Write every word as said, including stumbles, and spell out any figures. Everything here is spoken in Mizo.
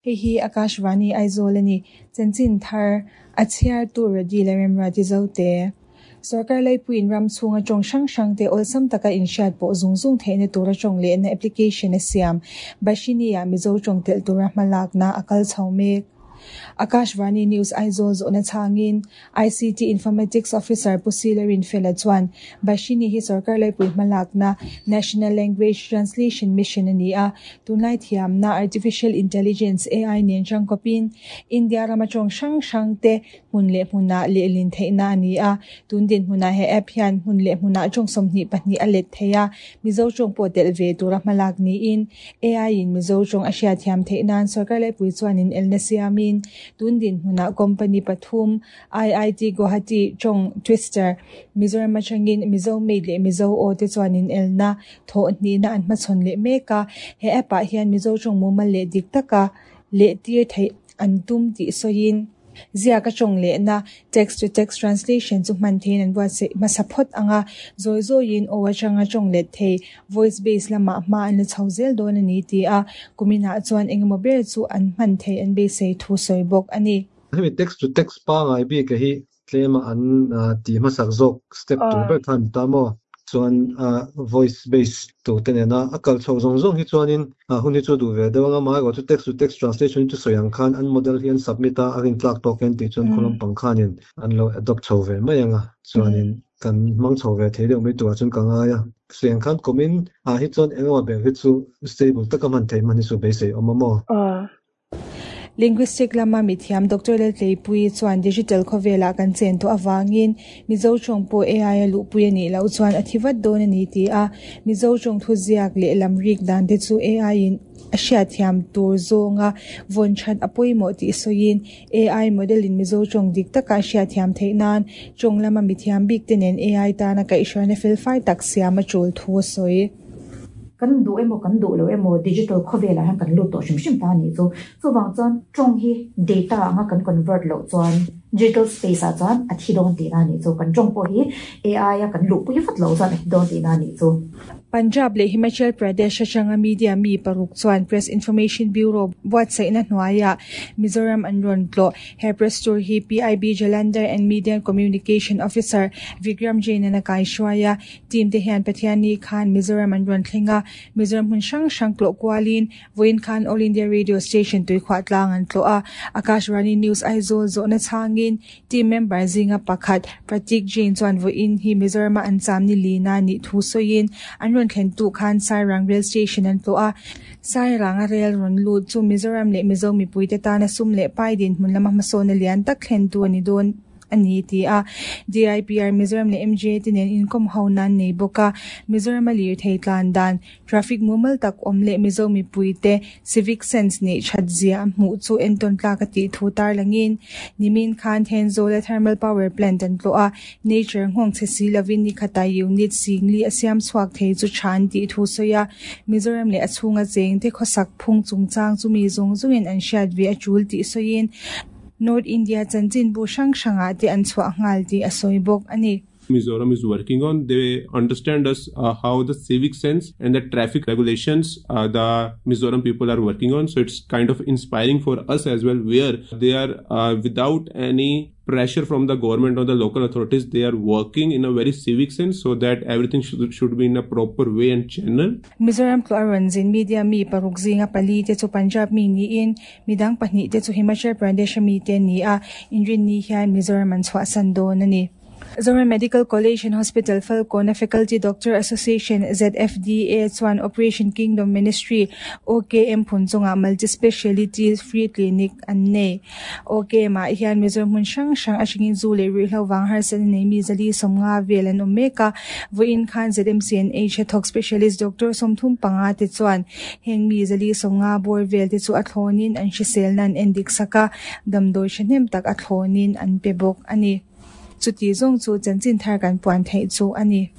Hei hi Akashvani Aizawl a ni. Chanchin thar a chhiartu Radi Lalremruati Zote. Sorkar laipuiin ram chhunga tawng hrang hrang te awlsam taka inhriat pawh zung zung theihna tura tawng lehna application a siam. Bhashini-ah Mizo tawng telh tura hmalakna a kal chho mek. Akashvani News Aizawl zawhna chhangin I C T Informatics Officer Pu Sila Rinfela chuan Bhashini hi sorkar laipui hmalakna National Language Translation Mission a ni a, tunlai thiamna Artificial Intelligence A I nen tangkawpin India rama tawng hrang hrang te hmun leh hmunah lehlin theihna a ni a. Tun dinhmunah he app hian hmun leh hmunah tawng sawmhnih pahnih a let thei a, Mizo tawng pawh telh ve tura hmalak niin A I in Mizo tawng a hriatthiam theih nan sorkar laipui chuan inelna siamin tun dinhmunah company pathum I I T Guwahati tawng Twister, Mizoram atangin Mizo Made leh Mizo Aw te chuan inelna thawh hnihna an hmachhawn leh mek a. He app ah hian Mizo tawng mumal leh dik taka leh tir theih an tum tih sawiin ziaka tawng lehna text to text translation chu hman theiin an buatsaih hmasa phawt anga zawi zawiin aw atanga tawng let thei voice base lamah hma an la chho zel dawn a ni ti a, kuminah chuan engemaw ber chu an hman thei an beisei thu sawi bawk a ni. Hemi text to text pangai bi ka hi tlema an ti hmasak zawk step tur ber khan ta maw, chuan voice base to te nena a kal chho zawng zawng hi chuanin hun hi chu duh ve deuh anga mai chu text to text translation chu sawi ang khan an model hi an submit a, a rin tlak tawk en tih chuan khulam pang khanin an lo adopt chho ve mai anga, chuanin kan hmang chho ve thei deuh mai turah chuan ka ngai a. Sawi ang khan kumin ah hi chuan engemaw ber hi chu stable taka hman thei hman hi chu beisei awm a maw. Linguistic lama mithiam Doctor Laltleipui chuan digital khawvelah kan chen tawh awangin Mizo tawng pawh A I a luhpui a nih loh chuan a thi vat dawn a ni ti a, Mizo tawng thu ziak leh lam rik dan te chu A I in a hriatthiam tur zawnga vawn that a pawimawh tih sawiin A I model in Mizo tawng dik taka a hriatthiam theih nan tawng lama mithiam bik te nen A I tana kaihhruaina felfai tak siam a tul thu a sawi. Kan duh emaw kan duh lo emaw digital khawvelah hian kan lut tawh hrim hrim ta ni chu. Chuwang chuan tawng hi data anga kan convert lo chuan digital space ah chuan a thi dawn tihna ni chu. Kan tawng pawh hi A I a kan luh pui vat lo chuan a thi dawn tihna ni chu. Punjab leh Himachal Pradesh atanga media mi paruk chuan Press Information Bureau buatsaihna hnuaiah Mizoram an rawn tlawh. He press tour hi P I B Jalandhar and Media Communication Officer Vikram Jain an a kaihruai a. Team te hian Pathianni khan Mizoram an rawn thleng a, Mizoram hmun hrang hrang tlawh kualin vawiin khan All India Radio Station Tuikhuah Tlang an tlawh a. Akashvani News Aizawl zawhna chhangin team member zinga pakhat Pratik Jain chuan vawiin hi Mizorama an cham ni lina ni thu sawiin an rawn thlen tu khan Sairang Rail Station an tlawh a, Sairang a rail rawn lut chu Mizoram leh Mizo mipui te tana sum leh pai din hmun lama hmasawn a lian tak thlen tu ani dawn ani ti a. D I P R Mizoram leh M J te nen inkom ho nan nei bawk a, Mizoram a lir thei tlan dan traffic mumal tak awm leh Mizo mipui te civic sense nei that zia a hmuh chu entawn tlak a tih thu tarlangin nimin khan Thenzawl a thermal power plant an tlawh a, nature nghawng che si lovin ni khata unit singli a siam chhuak thei chu than tih thu sawi a, Mizoram leh a chhunga cheng te khawsak phung chungchang chu mi zawng zawngin an hriat ve a tul tih sawiin North India chanchin bu hrang hrangah te an chhuah nghal tih a sawi bawk ani. Mizoram is working on. They understand us uh, how the civic sense and the traffic regulations uh, the Mizoram people are working on. So it's kind of inspiring for us as well, where they are uh, without any pressure from the government or the local authorities, they are working in a very civic sense so that everything should, should be in a proper way and channel. Mizoram tlawh a rawn zin media mi paruk zinga pali te chu Punjab mi niin midang pahnih te chu Himachal Pradesh mi te ni a, inrin ni hian Mizoram an chhuah san dawn ani. Zoram Medical College and Hospital Falkawn Faculty Doctor Association Z F D A chuan Operation Kingdom Ministry O K M phunchunga multi-speciality free clinic an nei. O K M ah hian Mizoram hmun hrang hrang atangin zu leh ruihhlo wang harsatna nei mi zali sawmnga vel an awm mek a. Vawiin khan Z M C N H thawk specialist doctor sawmthum panga te chuan heng mi zali sawmnga bawr vel te chu a thlawnin an hrisel nan en dik saka damdawi thahnem tak a thlawnin an pe bawk ani. Chuti zawng chu chanchin thar kan puan theih chu ani.